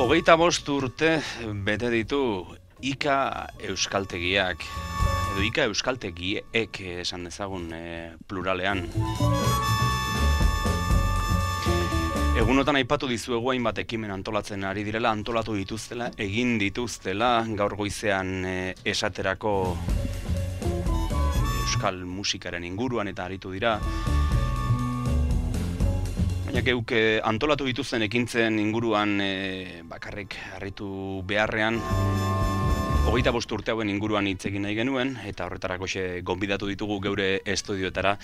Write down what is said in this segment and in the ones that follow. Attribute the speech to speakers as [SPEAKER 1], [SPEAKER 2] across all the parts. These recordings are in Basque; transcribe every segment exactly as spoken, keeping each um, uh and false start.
[SPEAKER 1] Hogeita bost urte bete ditu Ika Euskaltegiak, edo Ika Euskaltegiek esan dezagun e, pluralean. Egunotan aipatu dizuegu hainbat ekimen antolatzen ari direla, antolatu dituztela, egin dituztela, gaur goizean e, esaterako euskal musikaren inguruan eta aritu dira. Baina geuk antolatu dituzten ekintzen inguruan e, bakarrik harritu beharrean, hogeita bost urte hauen inguruan hitz egin nahi genuen, eta horretarako gonbidatu ditugu geure estudioetara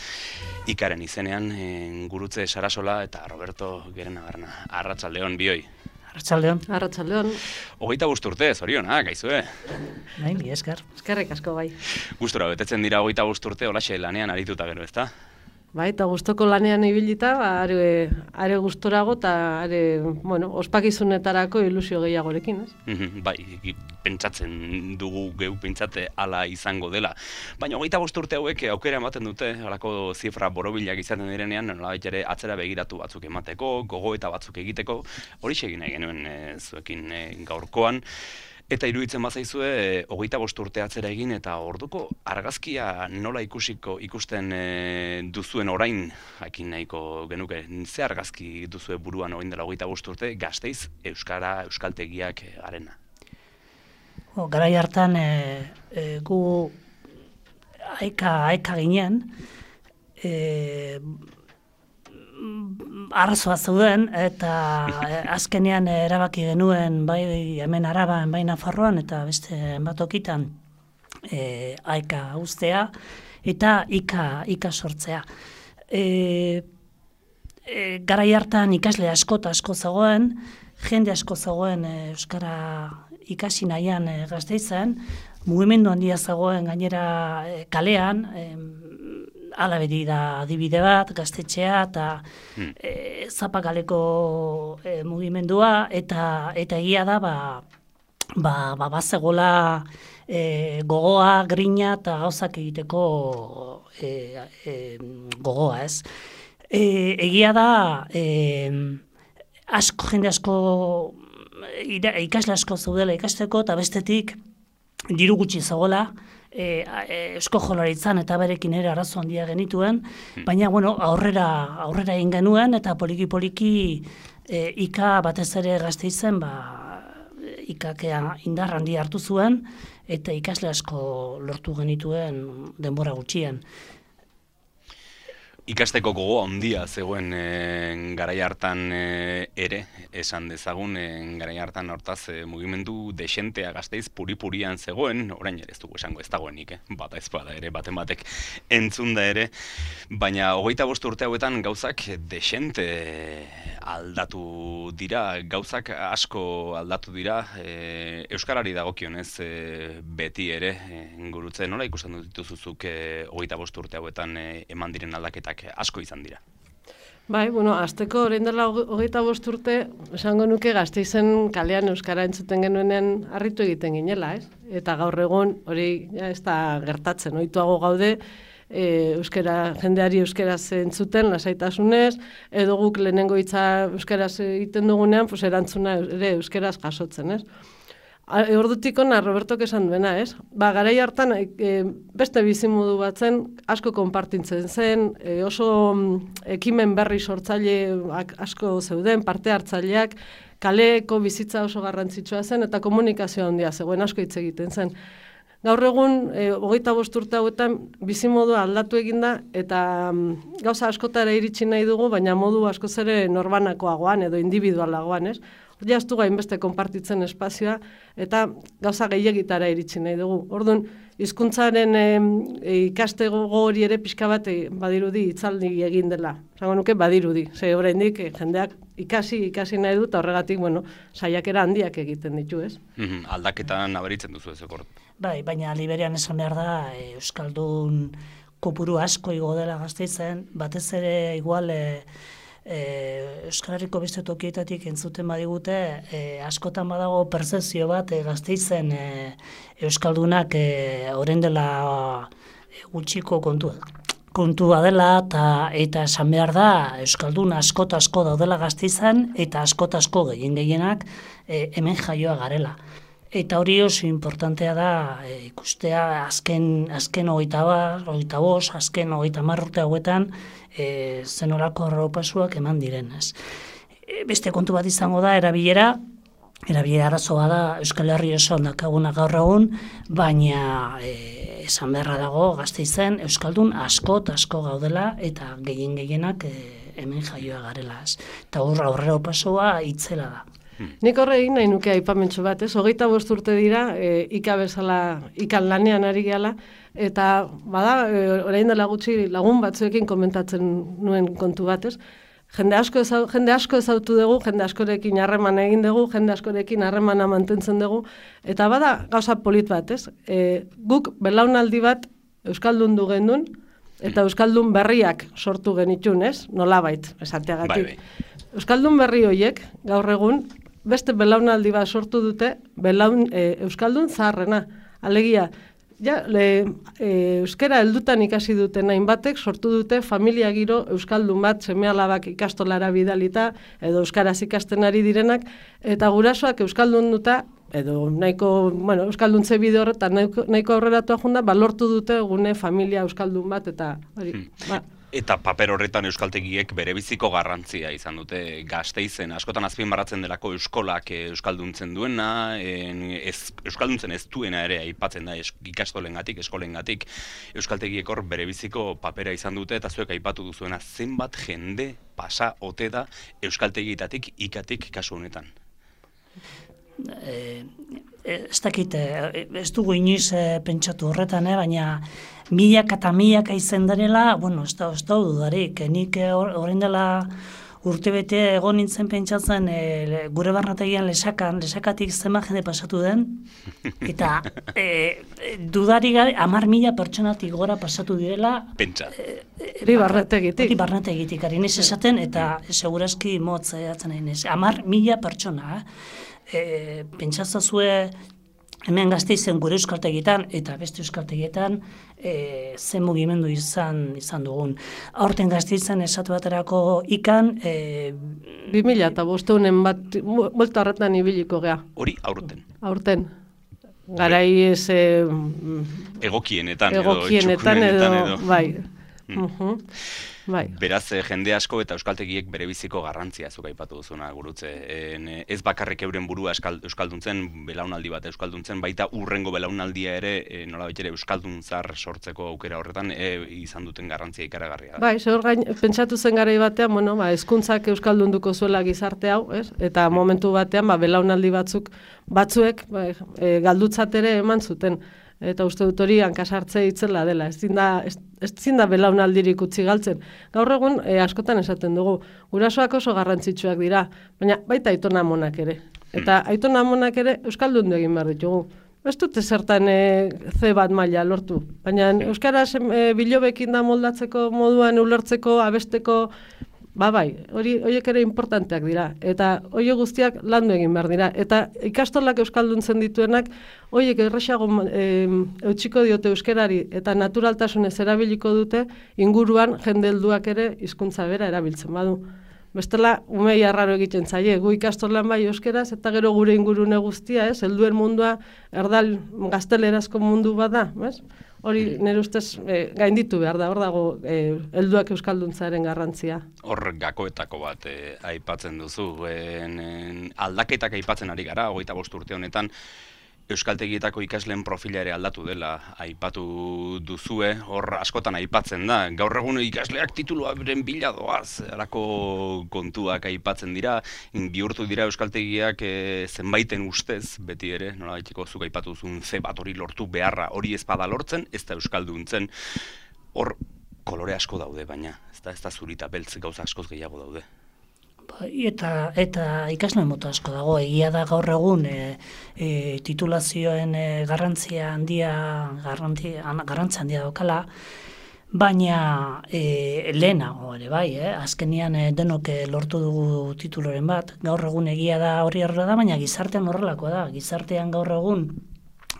[SPEAKER 1] Ikaren izenean, e, Gurutze Sarasola eta Roberto Gerenabarna. Arratsaldeon bioi.
[SPEAKER 2] Arratsaldeon.
[SPEAKER 3] Arratsaldeon.
[SPEAKER 1] Hogeita bost urte, zorionak, gaizue.
[SPEAKER 2] Bai, mi esker.
[SPEAKER 3] Eskerrik asko bai.
[SPEAKER 1] Gustora betetzen dira hogeita bost urte, holaxe lanean arituta gero, ezta?
[SPEAKER 3] Bai, eta gustoko lanean ibilita, ba, are, are gustorago eta are, bueno, ospakizunetarako ilusio gehiagorekin, ez?
[SPEAKER 1] Bai, pentsatzen dugu geu pentsate hala izango dela. Baina hogeita bost urte hauek aukera ematen dute, halako zifra borobilak izaten direnean, nolabait ere atzera begiratu batzuk emateko, gogoeta batzuk egiteko, hori egin nahi genuen e, zuekin e, gaurkoan. Eta iruditzen bazaizue, e, hogeita bost urte atzera egin eta orduko argazkia nola ikusiko ikusten e, duzuen orain, jakin nahiko genuke, ze argazki duzue buruan orain dela hogeita bost urte, Gasteiz, Euskara, Euskaltegiak e, arena?
[SPEAKER 2] O, garai hartan e, e, gu aika, aika ginen, e, arrazoa zeuden eta azkenean erabaki genuen bai hemen Araban, bai Nafarroan eta beste batokitan e, aika uztea eta ika, ika sortzea. E, e, garai hartan ikasle asko eta asko zegoen, jende asko zegoen e, Euskara ikasi nahian e, Gasteizen, mugimendu handia zegoen gainera e, kalean, e, Hala beti da adibide bat, gaztetxea eta hmm. e, zapakaleko e, mugimendua eta eta egia da ba ba ba bazegola e, gogoa, grina eta gauzak egiteko e, e, gogoa, ez? E, egia da e, asko jende asko ira, ikasle asko zeudela ikasteko eta bestetik diru gutxi zegoela. E, e, Eusko Jaurlaritzan eta berekin ere arazo handia genituen, baina bueno, aurrera aurrera egin genuen eta poliki poliki e, Ika batez ere Gasteizen ba Ikakea indar handia hartu zuen eta ikasle asko lortu genituen denbora gutxien.
[SPEAKER 1] Ikasteko gogoa handia zegoen e, garai hartan e, ere, esan dezagun, e, garai hartan hortaz e, mugimendu desentea Gasteiz puri-purian zegoen, orain ere ez dugu esango ez dagoenik, eh? Bata ez bada ere, baten batek entzunda ere, baina hogeita bost urte hauetan gauzak desente aldatu dira, gauzak asko aldatu dira, e, Euskarari dagokionez e, beti ere, e, Gurutze, nola ikusten dituzuzuk e, hogeita bost urte hauetan e, eman diren aldaketak asko izan dira.
[SPEAKER 3] Bai, bueno, azteko orain dela hogeita bost urte, esango nuke Gasteizen kalean euskara entzuten genuenean harritu egiten ginela, ez? Eta gaur egun hori ja ez da gertatzen, ohituago gaude, e, euskara, jendeari euskaraz entzuten lasaitasunez, edo guk lehenengo hitza euskaraz egiten dugunean, pues erantzuna ere euskaraz jasotzen, ez? Ordutik ona Robertok esan duena, ez? Ba, garai hartan e, beste bizimodu batzen asko konpartitzen zen, e, oso ekimen berri sortzaile asko zeuden, parte hartzaileak, kaleko bizitza oso garrantzitsua zen eta komunikazio handia zegoen asko hitz egiten zen. Gaur egun, e, hogeita bost urte hauetan bizimodua aldatu eginda eta mm, gauza askotara iritsi nahi dugu, baina modu askoz ere norbanakoagoan edo individualagoan, ez? Ja ez dugu hainbeste konpartitzen espazioa eta gauza gehiagitara iritsi nahi dugu. Orduan, hizkuntzaren e, ikastego hori ere pixka bat e, badirudi hitzaldi egin dela. Zango nuke badirudi, ze oraindik e, jendeak ikasi, ikasi nahi du eta horregatik, bueno, saiakera handiak egiten ditu, ez?
[SPEAKER 1] Mm-hmm. Aldaketan nabaritzen duzu ez ekor.
[SPEAKER 2] Bai, baina Liberian esan behar da, e, Euskaldun kopuru asko igo dela Gasteizen, batez ere igual e, e, Euskarariko beste tokietatik entzuten badigute, e, askotan badago pertzepzio bat e, Gasteizen e, Euskaldunak e, orain dela e, gutxiko kontua, kontua dela eta eta esan behar da euskaldun asko eta asko daudela Gasteizan eta asko eta asko gehien gehienak e, hemen jaioa garela. Eta hori oso importantea da e, ikustea azken azken hogeita bost, azken hogeita hamar urte hauetan e, zenolako arropasuak eman direnez. E, beste kontu bat izango da erabilera. Erabilera arazoa da Euskal Herri osoan dakaguna gaur egun, baina e, esan beharra dago Gasteizen euskaldun asko eta asko gaudela eta gehien gehienak e, hemen jaioa garela. Eta hor aurrera pasoa itzela da.
[SPEAKER 3] Nik horre egin nahi nuke aipamentxo bat, ez? Hogeita bost urte dira, e, ika bezala, ikan lanean ari gehala, eta bada, e, orain dela gutxi lagun batzuekin komentatzen nuen kontu bat, ez? Jende asko, ezau, jende asko ezautu dugu, jende askorekin harreman egin dugu, jende askorekin harremana mantentzen dugu, eta bada gauza polit bat, ez? E, guk belaunaldi bat euskaldun du gendun, eta euskaldun berriak sortu genitun, ez? Nolabait, esateagatik. Bai, bai. Euskaldun berri horiek, gaur egun, beste belaunaldi bat sortu dute, belaun, e, euskaldun zaharrena. Alegia, ja, le, e, euskera heldutan ikasi duten hainbatek sortu dute familia giro euskaldun bat seme-alabak ikastolara bidalita edo euskaraz ikasten ari direnak eta gurasoak euskaldun duta edo nahiko, bueno, euskalduntze bide horretan nahiko, nahiko aurreratua junda, ba, lortu dute gune familia euskaldun bat eta hori, hmm. ba.
[SPEAKER 1] Eta paper horretan euskaltegiek berebiziko garrantzia izan dute Gasteizen. Askotan azpimarratzen delako euskolak euskalduntzen duena, ez, euskalduntzen ez duena ere aipatzen da ikastolengatik, eskolengatik. Euskaltegiek hor berebiziko papera izan dute eta zuek aipatu duzuena zenbat jende pasa ote da euskaltegietatik ikatik kasu honetan.
[SPEAKER 2] E, ez dakit, ez dugu inoiz e, pentsatu horretan, eh, baina milaka eta milaka izan darela, bueno, ez da, ez da dudarik, nik orain dela urtebete egon nintzen pentsatzen e, gure barnategian lesakan, lesakatik zenbat jende pasatu den, eta e, dudari gabe hamar mila pertsonatik gora pasatu direla.
[SPEAKER 1] Pentsa.
[SPEAKER 3] Hori e, barnategitik.
[SPEAKER 2] Hori barnategitik, ari nez esaten, eta segurazki motz edatzen nahi nez. Hamar mila pertsona, e, pentsazazue hemen Gasteizen gure euskaltegitan eta beste euskaltegietan e, zen mugimendu izan izan dugun. Aurten Gasteizen esatu baterako ikan e,
[SPEAKER 3] bi mila eta bosteunen bat bolta horretan ibiliko gea.
[SPEAKER 1] Hori aurten.
[SPEAKER 3] Aurten. Garai ez e,
[SPEAKER 1] egokienetan,
[SPEAKER 3] egokienetan edo, edo, edo bai.
[SPEAKER 1] Hmm.
[SPEAKER 3] Uh-huh. Bai.
[SPEAKER 1] Beraz, jende asko eta euskaltegiek berebiziko garrantzia zuk aipatu duzuna gurutze. En, ez bakarrik euren burua euskalduntzen, belaunaldi bat euskalduntzen, baita urrengo belaunaldia ere, e, nolabait ere euskaldun zar sortzeko aukera horretan e, izan duten garrantzia ikaragarria.
[SPEAKER 3] Bai, zehor gain, pentsatu zen garai batean, bueno, ba, hezkuntzak euskaldunduko zuela gizarte hau, ez? Eta momentu batean, ba, belaunaldi batzuk, batzuek, ba, e, galdutzat ere eman zuten. Eta uste dut hori hankasartze itzela dela, ez zinda, ez, ez zinda belaunaldirik utzi galtzen. Gaur egun e, askotan esaten dugu, gurasoak oso garrantzitsuak dira, baina baita aitona amonak ere. Eta aitona amonak ere euskaldundu egin behar ditugu. Ez dute zertan e, ze bat maila lortu, baina euskaraz e, bilobekin da moldatzeko moduan ulertzeko, abesteko, ba bai, hori horiek ere importanteak dira, eta horiek guztiak landu egin behar dira, eta ikastolak euskalduntzen dituenak, horiek erresago e, eutxiko diote euskerari, eta naturaltasunez erabiliko dute, inguruan jende helduak ere hizkuntza bera erabiltzen badu. Bestela, umei arraro egiten zaie, gu ikastolan bai euskeraz, eta gero gure ingurune guztia, ez, helduen mundua, erdal gaztelerazko mundu bada, ez? Hori nire ustez e, gainditu behar da, hor dago e, helduak euskalduntzaren garrantzia.
[SPEAKER 1] Hor gakoetako bat e, aipatzen duzu, en, en, aldaketak aipatzen ari gara, hogeita bost urte honetan, euskaltegietako ikasleen profila ere aldatu dela aipatu duzue, hor askotan aipatzen da. Gaur egun ikasleak tituluaren bila doaz, halako kontuak aipatzen dira, bihurtu dira euskaltegiak e, zenbaiten ustez, beti ere, nola baitiko zuk aipatu duzun ze bat hori lortu beharra, hori ez bada lortzen, ez da euskalduntzen. Hor kolore asko daude, baina, ez da, ez da zurita beltz gauza askoz gehiago daude.
[SPEAKER 2] Eta, eta ikasle mota asko dago, egia da gaur egun e, e, titulazioen e, garrantzia handia, garrantzia, garrantzia handia daukala, baina e, lehenago ere bai, eh? Azkenian e, denok lortu dugu tituloren bat, gaur egun egia da hori horrela da, baina gizartean horrelakoa da, gizartean gaur egun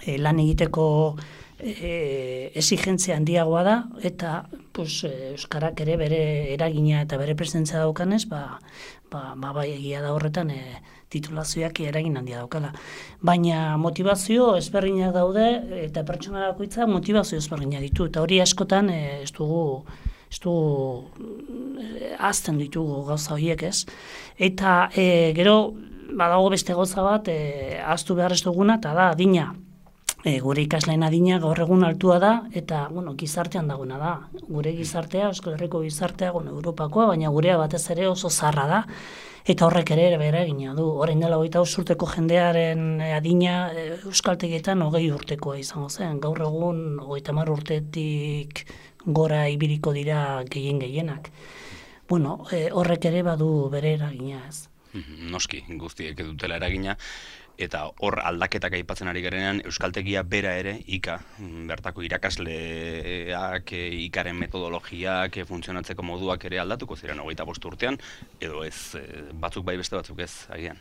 [SPEAKER 2] e, lan egiteko e, exigentzia handiagoa da, eta pues, euskarak ere bere eragina eta bere presentzia daukanez, ba, ba, ba bai egia da horretan e, titulazioak eragin handia daukala. Baina motivazio ezberdinak daude eta pertsona bakoitza motivazio ezberdinak ditu. Eta hori askotan e, ez dugu, ez dugu azten ditugu gauza horiek ez. Eta e, gero badago beste gauza bat e, ahaztu behar ez duguna eta da adina. E, gure ikasleen adina gaur egun altua da eta bueno, gizartean daguna da. Gure gizartea, Euskal Herriko gizartea, bueno, Europakoa, baina gurea batez ere oso zarra da. Eta horrek ere bere egina du. Orain dela hogeita bost urteko jendearen adina euskaltegietan hogei urtekoa izango zen. Gaur egun hogeita hamar urtetik gora ibiliko dira gehien gehienak. Bueno, e, horrek ere badu bere eragina ez.
[SPEAKER 1] Noski, guztiek dutela eragina. Eta hor aldaketak aipatzen ari garenean, euskaltegia bera ere, ika, bertako irakasleak, ikaren metodologiak, funtzionatzeko moduak ere aldatuko ziren hogeita bost urtean, edo ez, batzuk bai beste batzuk ez, agian.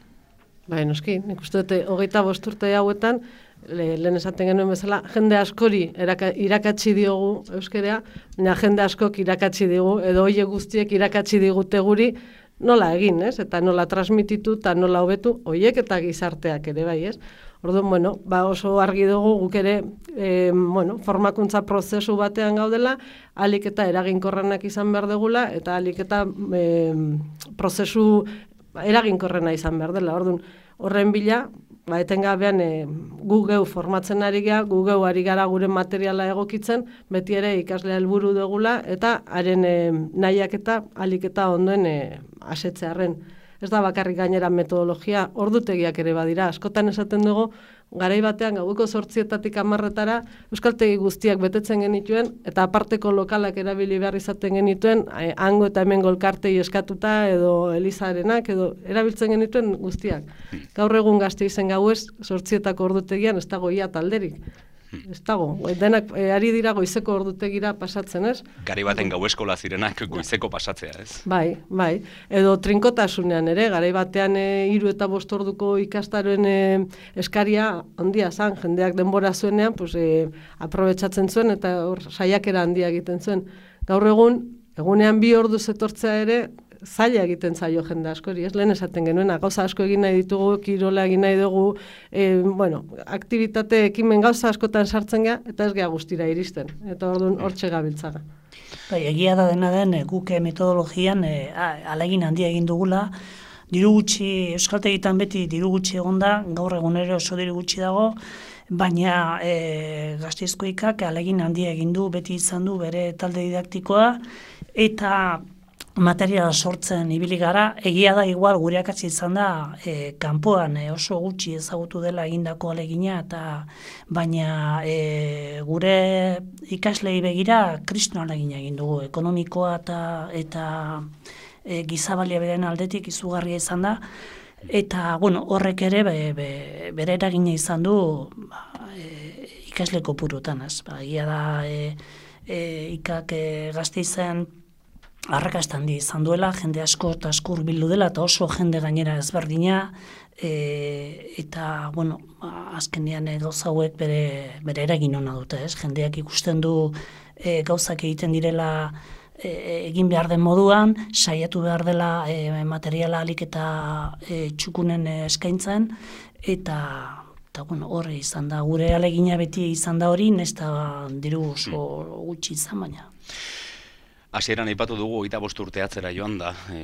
[SPEAKER 3] Bai, noski, nik uste dute hogeita bost urte hauetan, le, lehen esaten genuen bezala, jende askori eraka, irakatsi diogu euskerea, baina jende askok irakatsi digu, edo hoiek guztiek irakatsi digute guri, nola egin, ez? Eta nola transmititu eta nola hobetu hoiek eta gizarteak ere bai, ez? Orduan, bueno, ba oso argi dugu guk ere e, bueno, formakuntza prozesu batean gaudela, ahalik eta eraginkorrenak izan behar degula eta ahalik eta e, prozesu eraginkorrena izan behar dela. Orduan, horren bila, ba etengabean e, gu geu formatzen ari gara, gu geu ari gara gure materiala egokitzen, beti ere ikaslea helburu dugula eta haren e, nahiak eta ahalik eta ondoen e, asetzearren. Ez da bakarrik gainera metodologia, ordutegiak ere badira. Askotan esaten dugu, garai batean gaueko zortzietatik hamarretara euskaltegi guztiak betetzen genituen eta aparteko lokalak erabili behar izaten genituen, eh, hango eta hemen golkartei eskatuta edo elizarenak edo erabiltzen genituen guztiak. Gaur egun Gasteizen gauez zortzietako ordutegian ez dago ia talderik. Ez dago, denak e, ari dira goizeko ordutegira pasatzen, ez?
[SPEAKER 1] Gari baten gau eskola zirenak goizeko pasatzea, ez?
[SPEAKER 3] Bai, bai. Edo trinkotasunean ere, garai batean e, hiru eta bost orduko ikastaroen e, eskaria handia zan, jendeak denbora zuenean, pues, e, aprobetxatzen zuen eta hor saiakera handia egiten zuen. Gaur egun, egunean bi ordu etortzea ere, zaila egiten zaio jende askori, ez lehen esaten genuena, gauza asko egin nahi ditugu, kirola egin nahi dugu, e, bueno, aktivitate ekimen gauza askotan sartzen gea, eta ez gea guztira iristen, eta orduan hortxe gabiltzaga.
[SPEAKER 2] Bai, egia da dena den, guke metodologian e, alegin handia egin dugula, diru gutxi, euskaltegitan beti diru gutxi egonda, gaur egunero oso diru gutxi dago, baina e, Gasteizko ikak alegin handia egin du, beti izan du bere talde didaktikoa, eta materiala sortzen ibili gara, egia da igual gure akatsi izan da e, kanpoan e, oso gutxi ezagutu dela egindako alegina, eta baina e, gure ikaslei begira kriston alegina egin dugu, ekonomikoa eta, eta e, gizabalia beren aldetik izugarria izan da, eta bueno, horrek ere be, be, bere eragina izan du ba, e, ikasle kopurutan, ez? Ba, egia da e, e, ikak e, Gasteizen arrakasta handi izan duela, jende asko eta asko hurbildu dela, eta oso jende gainera ezberdina, e, eta, bueno, azkenean gauza hauek bere, bere eragin ona dute, ez? Jendeak ikusten du e, gauzak egiten direla e, egin behar den moduan, saiatu behar dela e, materiala alik eta e, txukunen eskaintzen, eta eta bueno, horre izan da, gure alegina beti izan da hori, nesta diru oso gutxi izan baina.
[SPEAKER 1] Hasieran aipatu dugu hogeita bost urte atzera joan da, e,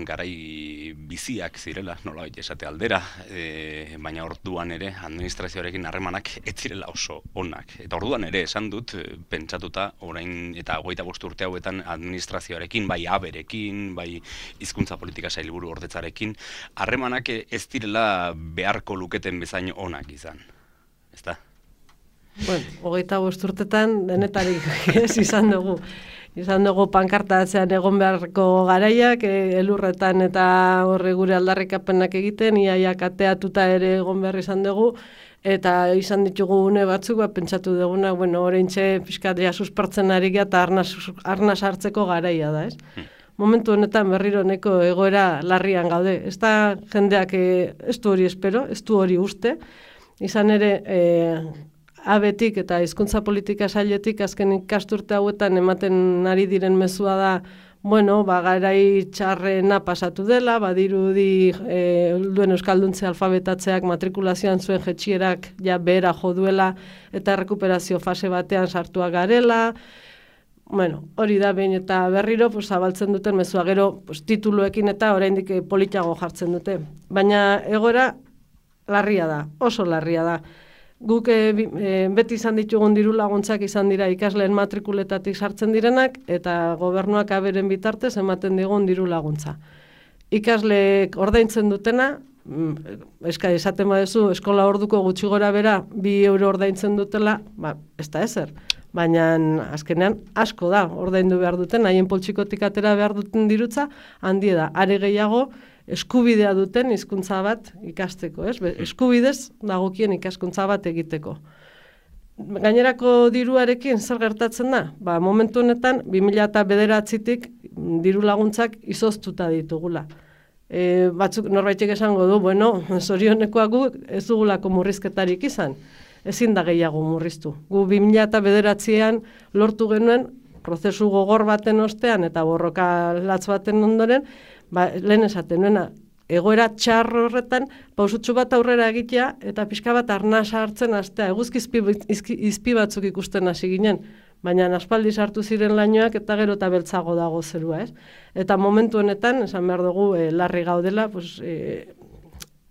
[SPEAKER 1] garai biziak zirela, nola esate aldera, e, baina orduan ere administrazioarekin harremanak ez zirela oso onak. Eta orduan ere esan dut, pentsatuta, orain eta hogeita bost urte hauetan administrazioarekin, bai aberekin, bai hizkuntza politika sailburu ordetzarekin, harremanak ez direla beharko luketen bezain onak izan. Ezta?
[SPEAKER 3] Bueno, hogeita bost urtetan denetarik ez izan dugu. Izan dugu pankarta atzean egon beharko garaiak, e, elurretan eta horre gure aldarrikapenak egiten, iaia kateatuta ere egon behar izan dugu, eta izan ditugu une batzuk, ba, pentsatu duguna, bueno, oraintxe pixkatia suspertzen ari gara eta arnaz, arnaz hartzeko garaia da, ez? Hmm. Momentu honetan berriro neko egoera larrian gaude. Ez da jendeak e, ez du hori espero, ez du hori uste, izan ere, e, abetik eta hizkuntza politika sailetik azken ikasturte hauetan ematen ari diren mezua da, bueno, ba, garai txarrena pasatu dela, badirudi e, duen euskalduntze alfabetatzeak matrikulazioan zuen jetxierak ja behera jo duela eta errekuperazio fase batean sartuak garela. Bueno, hori da behin eta berriro pues, zabaltzen duten mezua, gero pues, tituluekin eta oraindik politago jartzen dute. Baina egoera larria da, oso larria da. Guk e, e, beti izan ditugun diru laguntzak izan dira ikasleen matrikuletatik sartzen direnak eta gobernuak aberen bitartez ematen digun diru laguntza. Ikasleek ordaintzen dutena, eska esaten baduzu eskola orduko gutxi gora bera bi euro ordaintzen dutela, ba, ez da ezer. Baina azkenean asko da ordaindu behar duten, haien poltsikotik atera behar duten dirutza, handi da, are gehiago eskubidea duten hizkuntza bat ikasteko, ez? Eskubidez dagokien ikaskuntza bat egiteko. Gainerako diruarekin zer gertatzen da? Ba, momentu honetan bi mila bederatzitik diru laguntzak izoztuta ditugula. E, batzuk norbaitek esango du, bueno, zorionekoak gu ez dugulako murrizketarik izan. Ezin da gehiago murriztu. Gu bi mila bederatzian lortu genuen prozesu gogor baten ostean eta borroka latz baten ondoren, ba, lehen esaten nuena, egoera txar horretan pausutxu bat aurrera egitea eta pixka bat arnasa hartzen hastea. Eguzki izpi, izpi, izpi batzuk ikusten hasi ginen, baina aspaldi sartu ziren lainoak eta gero eta beltzago dago zerua, ez? Eta momentu honetan, esan behar dugu, e, larri gaudela, pues, e,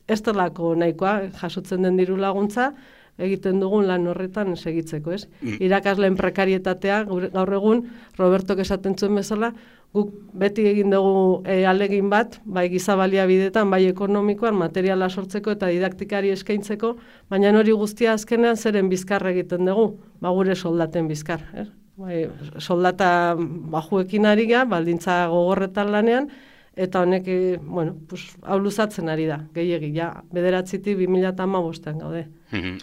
[SPEAKER 3] ez delako nahikoa jasotzen den diru laguntza, egiten dugun lan horretan segitzeko, ez? Mm. Irakasleen prekarietatea, gaur egun, Robertok esaten zuen bezala, guk beti egin dugu e, alegin bat, bai giza baliabideetan, bai ekonomikoan, materiala sortzeko eta didaktikari eskaintzeko, baina hori guztia azkenean zeren bizkar egiten dugu, ba gure soldaten bizkar, ez? Bai, soldata bajuekin ari ga, baldintza gogorretan lanean, eta honek, bueno, pues, hau luzatzen ari da, gehiegi, ja, bederatzitik bi mila hamabostean gaude.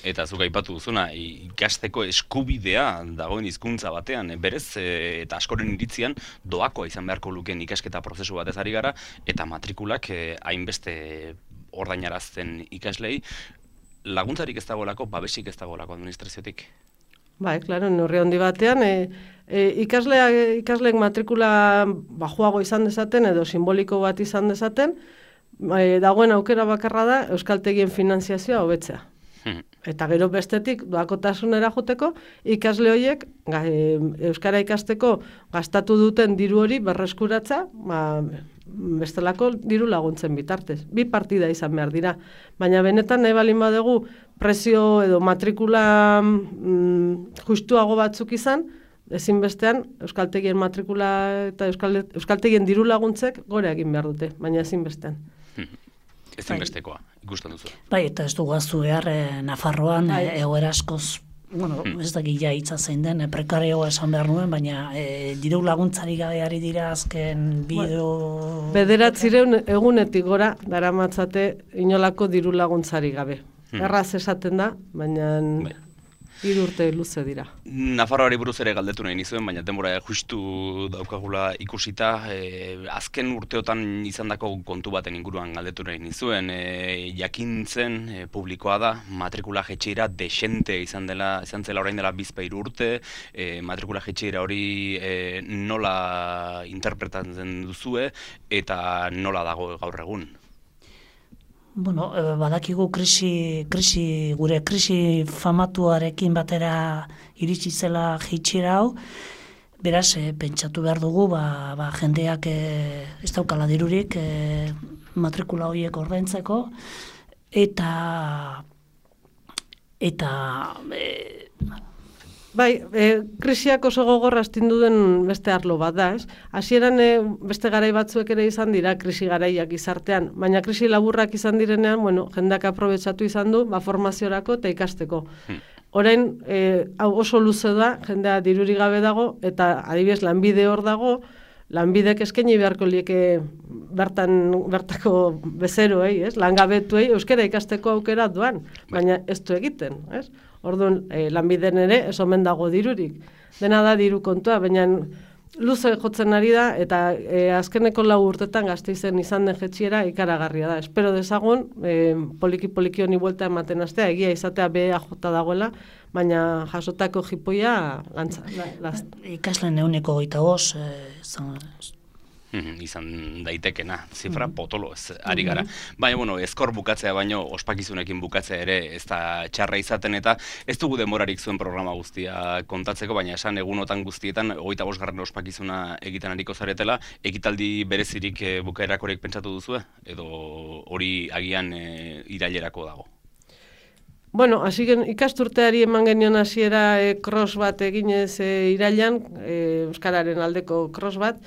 [SPEAKER 1] Eta zuk aipatu duzuna, ikasteko eskubidea dagoen hizkuntza batean, berez, e, eta askoren iritzian, doakoa izan beharko lukeen ikasketa prozesu batez ari gara, eta matrikulak e, hainbeste ordainarazten ikaslei, laguntzarik ez dagoelako, babesik ez dagoelako administraziotik.
[SPEAKER 3] Bai, klaro, neurri handi batean, e, e, ikasleak, ikasleek matrikula bajuago izan dezaten edo simboliko bat izan dezaten, e, dagoen aukera bakarra da euskaltegien finanziazioa hobetzea. Hmm. Eta gero bestetik doakotasunera joteko, ikasle horiek e, euskara ikasteko gastatu duten diru hori berreskuratza, ba, bestelako diru laguntzen bitartez. Bi partida izan behar dira. Baina benetan nahi balin badugu prezio edo matrikula mm, justuago batzuk izan, ezinbestean euskaltegien matrikula eta euskal, euskaltegien diru laguntzek gora egin behar dute, baina ezinbestean.
[SPEAKER 1] Ezinbestekoa, ikusten duzu.
[SPEAKER 2] Bai, eta ez du gaztu behar e, Nafarroan e, egoera askoz, bueno, ez da gila hitza zein den, e, prekarioa esan behar nuen, baina e, diru laguntzari gabe ari dira azken bideo...
[SPEAKER 3] Bederatzireun egunetik gora daramatzate inolako diru laguntzari gabe. Hmm. Erraz esaten da, baina bai. Hiru urte luze dira.
[SPEAKER 1] Nafarroari buruz ere galdetu nahi nizuen, baina denbora justu daukagula ikusita, e, azken urteotan izandako kontu baten inguruan galdetu nahi nizuen, e, jakintzen e, publikoa da, matrikula jetxeira desente izan dela, izan zela orain dela bizpahiru urte, e, matrikula jetxeira hori e, nola interpretatzen duzue eta nola dago gaur egun?
[SPEAKER 2] Bueno, badakigu krisi, krisi, gure krisi famatuarekin batera iritsi zela jitxira hau, beraz, e, pentsatu behar dugu, ba, ba, jendeak e, ez daukala dirurik e, matrikula horiek ordaintzeko, eta, eta, e,
[SPEAKER 3] Bai, e, krisiak oso gogorra astindu den beste arlo bat da, ez? Hasieran e, beste garai batzuek ere izan dira krisi garaiak gizartean, baina krisi laburrak izan direnean, bueno, jendeak aprobetxatu izan du, ba, formaziorako eta ikasteko. Hmm. Orain, e, hau oso luze da, jendea diruri gabe dago, eta adibidez lanbide hor dago, lanbidek eskaini beharko lieke bertan, bertako bezeroei, ez? Langabetuei euskara ikasteko aukera duan, baina ez du egiten, ez? Orduan, eh, lanbiden ere ez omen dago dirurik. Dena da diru kontua, baina luze jotzen ari da, eta e, azkeneko lau urtetan Gasteizen izan den jetxiera ikaragarria da. Espero dezagun, e, poliki-poliki honi buelta ematen astea, egia izatea B E A jota dagoela, baina jasotako jipoia gantza. La,
[SPEAKER 2] Ikasleen euneko goita bost,
[SPEAKER 1] izan daitekena, zifra potolo ez ari gara. Baina, bueno, ezkor bukatzea baino, ospakizunekin bukatzea ere ez da txarra izaten eta ez dugu demorarik zuen programa guztia kontatzeko, baina esan egunotan guztietan, hogeita bosgarren ospakizuna egiten ariko zaretela, ekitaldi berezirik e, bukaerakorek pentsatu duzue? Edo hori agian e, irailerako dago?
[SPEAKER 3] Bueno, hasi ikasturteari eman genion hasiera e, cross bat eginez e, irailan, e, euskararen aldeko cross bat,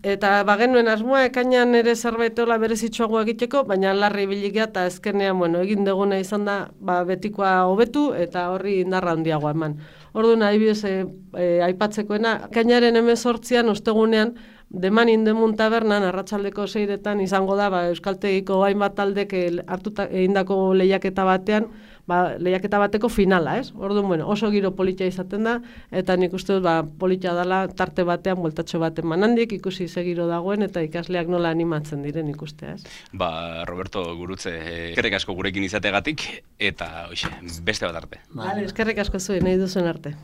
[SPEAKER 3] eta bagenuen asmoa ekainan ere zerbaitola berezitsuagoa egiteko, baina larri biligia eta ezkenean, bueno, egin deguna izan da, ba, betikoa hobetu eta horri indarra handiagoa eman. Orduan, adibidez, e, e, aipatzekoena, ekainaren hemezortzian ostegunean, Deman Indemun tabernan, arratsaldeko seiretan izango da, ba, euskaltegiko hainbat taldek hartuta egindako lehiaketa batean, ba, lehiaketa bateko finala, ez? Orduan, bueno, oso giro politia izaten da, eta nik uste dut, ba, politia dela tarte batean, bueltatxo baten manandik, ikusi ze giro dagoen, eta ikasleak nola animatzen diren ikustea, ez?
[SPEAKER 1] Ba, Roberto Gurutze, eskerrik asko gurekin izategatik, eta, oixe, beste bat arte.
[SPEAKER 3] Vale, eskerrik asko zuen, nahi duzuen arte.